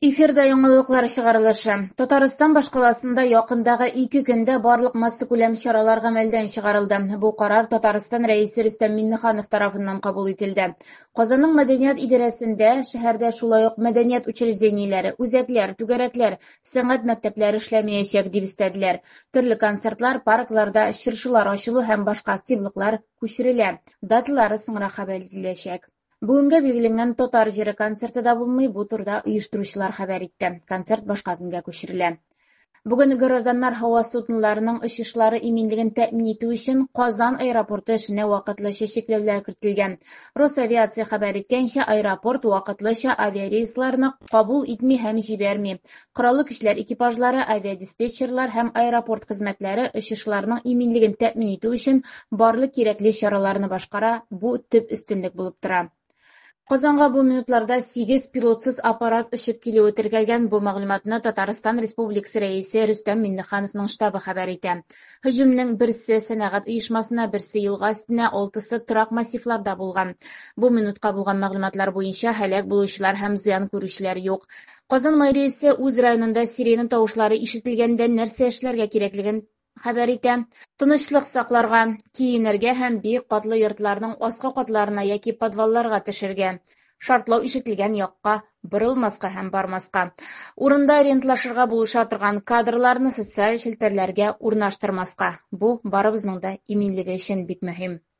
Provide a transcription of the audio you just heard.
Эфирда яңалыклар чыгарылышы. Татарстан башкаласында якындагы 2 көндә барлык массакүләм чаралар гамәлдән чыгарылды. Бу карар Татарстан Рәисе Рөстәм Миңнеханов тарафыннан кабул ителде. Казанның мәдәният идарәсендә шәһәрдә шулай ук мәдәният учреждениеләре, үзәкләр, түгәрәкләр, сәнгать мәктәпләре эшләмәячәк, дип өстәделәр. Төрле концертлар, паркларда чыршылар ачылу һәм башка активлыклар күчерелә. Даталары соңрак хәбәр ителәчәк. Бүгенгә билгеләнгән Татар җыры концерты да булмый, бу турыда оештыручылар хәбәр итте. Концерт башка көнгә күчерелә. Бүген гражданнар һава судноларының очышлары иминлеген тәэмин итү өчен Казан аэропорты эшенә вакытлыча чикләүләр кертелгән. Росавиация хәбәр иткәнчә, аэропорт вакытлыча авиарейсларны кабул итми һәм җибәрми. Кораллы көчләр экипажлары, авиадиспетчерлар һәм аэропорт хезмәтләре очышларның иминлеген тәэмин итү өчен барлык кирәкле чараларны башкара, бу төп өстенлек булып тора. Казанга бу минутларда 8 пилотсыз аппарат очып килүе теркәлгән. Бу мәгълүматны Татарстан Республикасы Рәисе Рөстәм Миңнехановның штабы хәбәр итә. Һөҗүмнең берсе сәнәгать оешмасына, берсе елга өстенә, 6-сы торак массивларда булган. Бу минутка булган мәгълүматлар буенча һәлак булучылар һәм зыян күрүчеләр юк. Казан мэриясе үз районында сирена тавышлары ишетелгәндә нәрсә эшләргә кирәклеген хәбәр итә. Тынычлык сакларга, киенергә һәм бик катлы йортларның аскы катларына яки подвалларга төшергә. Шартлау ишетелгән якка борылмаска һәм бармаска. Урында ориентлашырга булыша торган кадрларны социаль челтәрләргә урнаштырмаска. Бу барыбызның да иминлеге өчен бик мөһим.